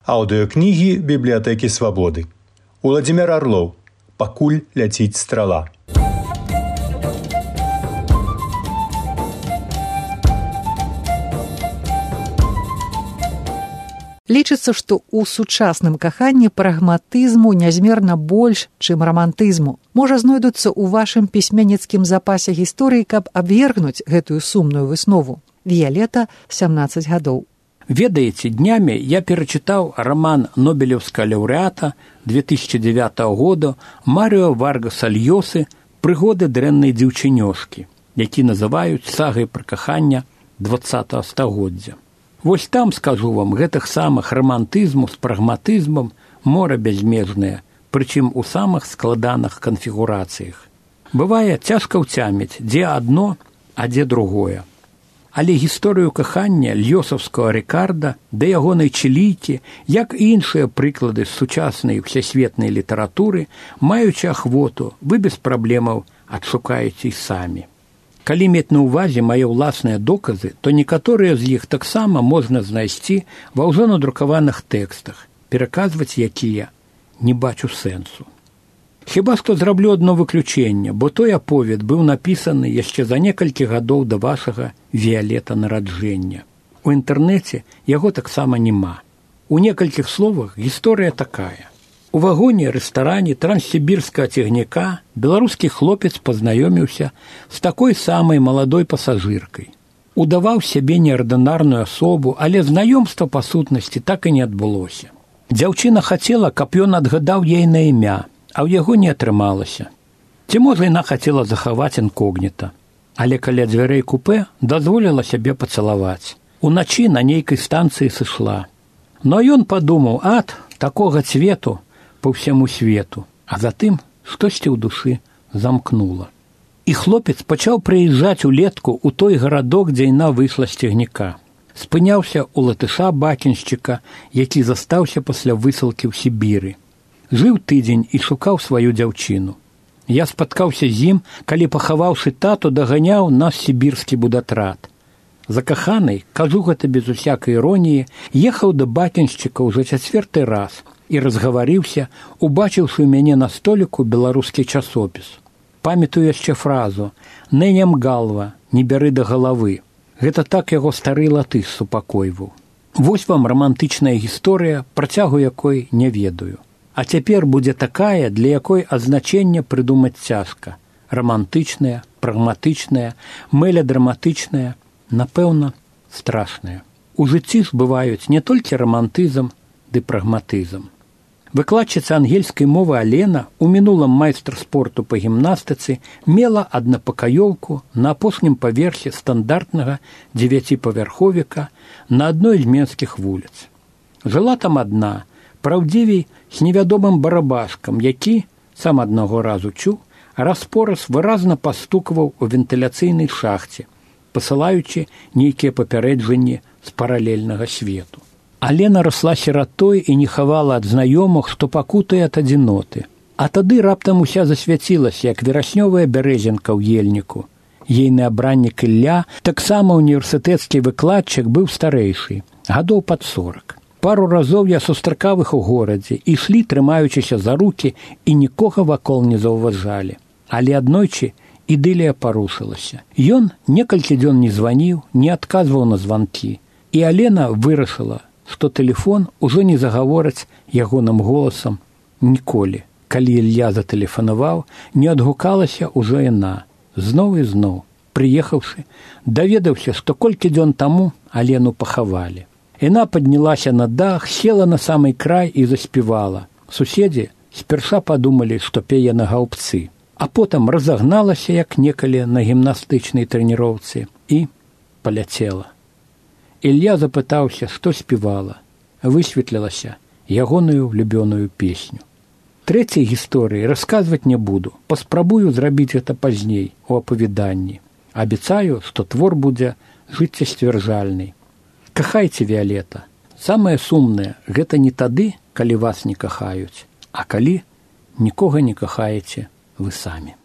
Аўдыёкнігі бібліятэкі свабоды. Уладзімир Арлоў. Пакуль ляціць страла. Лічыцца, што ў сучасным каханні прагматызму нязмерна больш, чым рамантызму. Можа, знойдуцца ў вашым пісьменніцкім запасе гісторыі, каб абвергнуць гэтую сумную выснову. Віялета, 17 гадоў. Ведаеце, днямі я перачытаў раман нобелеўскага лаўрэата 2009 года Марыо Варгаса Льёсы «Прыгоды дрэннай дзяўчынёшкі», які называюць сагай пра кахання 20 стагоддзя. Вось там, скажу вам, гэтых самых рамантызму з прагматызмам мора бязмежнае, прычым у самых складаных канфігурацыях. Бывае цяжка ўцяміць, дзе адно, а дзе другое. Але гісторыю кахання льёсаўскага Рыкарда да ягонай чылійкі, як і іншыя прыклады з сучаснай всесветнай літаратуры, маючы ахвоту, вы без праблемаў адшукаеце і самі. Калі мець на ўвазе мае ўласныя доказы, то некаторыя з іх таксама можна знайсці ва ўжо надрукаваных тэкстах, пераказваць якія не бачу сэнсу. Хіба што зраблю адно выключэнне, бо той аповед быў напісаны яшчэ за некалькі гадоў да вашага Віялета нараджэння. У інтэрнэце яго таксама няма. У некалькіх словах гісторыя такая. У вагоне рэстаране транссібірскага цягніка беларускі хлопец пазнаёміўся з такой самай маладой пасажыркай. Удаваў сябе неардынарную асобу, але знаёмства па сутнасці так і не адбылося. Дзяўчына хацела, каб ён адгадаў ей на імя, а ў яго не атрымалася. Ці можа яна хацела захаваць інкогніта, але каля дзвярэй купэ дазволіла сябе пацалаваць. Уначы на нейкай станцыі сышла. Но ён падумаў, такога цвету па ўсяму свету, а затым штосьці ў душы замкнула. І хлопец пачаў прыязджаць улетку ў той гарадок, дзе яна выйшла з цягніка. Спыняўся ў латыша-бакеншчыка, які застаўся пасля высылкі ў Сібіры. Жыў тыдзень і шукаў сваю дзяўчыну. Я спаткаўся з ім, калі, пахаваўшы тату, даганяў нас сібірскі будатрад. Закаханай, кажу гэта без усякай іроніі, ехаў да бакеншчыка ўжо 4-й раз і разгаварыўся, убачыўшы ў мяне на століку беларускі часопіс. Памятаю яшчэ фразу «Не ням галва, не бяры да галавы». Гэта так яго стары латыш супакойваў. Вось вам рамантычная гісторыя, працягу якой не ведаю. А цяпер будзе такая, для якой азначэнне прыдумаць цяжка. Рамантычная, прагматычная, меладраматычная, напэўна, страшная. У жыцці ж бываюць не толькі рамантызм ды прагматызм. Выкладчыца ангельскай мовы Алена, у мінулым майстар спорту па гімнастыцы, мела аднапакаёўку на апошнім паверсе стандартнага 9-павярховіка на адной з менскіх вуліц. Жыла там адна, праўдзівей з невядомым барабашкам, які, сам аднаго разу чуў, раз-пораз выразна пастукваў у вентыляцыйнай шахце, пасылаючы нейкія папярэджанні з паралельнага свету. Алена расла сіратой і не хавала ад знаёмых, што пакутае ад адзіноты. А тады раптам уся засвяцілася, як вераснёвая бярэзінка ў ельніку. Ейны абраннік Ілля, таксама універсітэцкі выкладчык, быў старэйшы, гадоў пад 40. Пару разоў я сустракаў іх у горадзе, ішлі, трымаючыся за рукі, і нікога вакол не заўважалі. Але аднойчы ідылія парушылася. Ён некалькі дзён не званіў, не адказваў на званкі. І Алена вырашыла, што тэлефон ужо не загавораць ягоным голасам ніколі. Калі Ілля затэлефанаваў, не адгукалася ўжо яна. Зноў і зноў, прыехаўшы, даведаўся, што колькі дзён таму Алену пахавалі. Яна паднялася на дах, села на самый край і заспявала. Суседзі спярша падумалі, што пее на гаўбцы, а потым разагналася, як некалі на гімнастычнай трэніроўцы, і паляцела. Ілля запытаўся, што спявала. Высветлілася ягоную любёную песню. Трэцяй гісторыі расказваць не буду, паспрабую зрабіць гэта пазней у апавяданні. Абяцаю, што твор будзе жыццесцвярджальны. Кахайце, Віялета. Самае сумнае – гэта не тады, калі вас не кахаюць, а калі нікога не кахаеце вы самі.